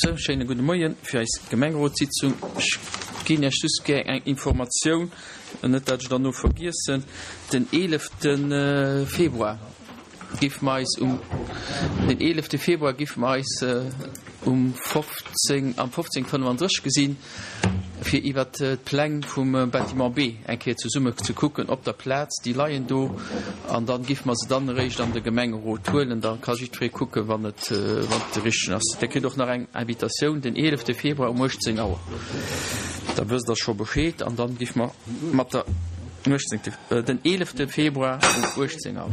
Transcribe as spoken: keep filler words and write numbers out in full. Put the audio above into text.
Sou, schéine gudde Moien fir eis Gemengerotssitzung. Ech ginn Iech just gär eng Informatioun, net dat ech derno vergiessen. Den eelefte Februar géife mer eis um, den eelefte Februar géife mer eis um fofzéng, am fofzéng fënnefandrësseg gesinn, fir iwwert d'Pläng vum Bâtiment B eng Kéier zesumme ze kucken op der Plaz. Déi leien do an dann géife mer se dann eréischt an de Gemengerot huelen. Da ka jiddweree kucken, wann et, wann et de richtegen ass. Der kritt och nach eng Invitatioun den eelefte Februar um uechtzéng Auer. Da wësst Der scho Bescheed an dann géife mer mat der uechtzéngte, den eelefte Februar um uechtzéng Auer.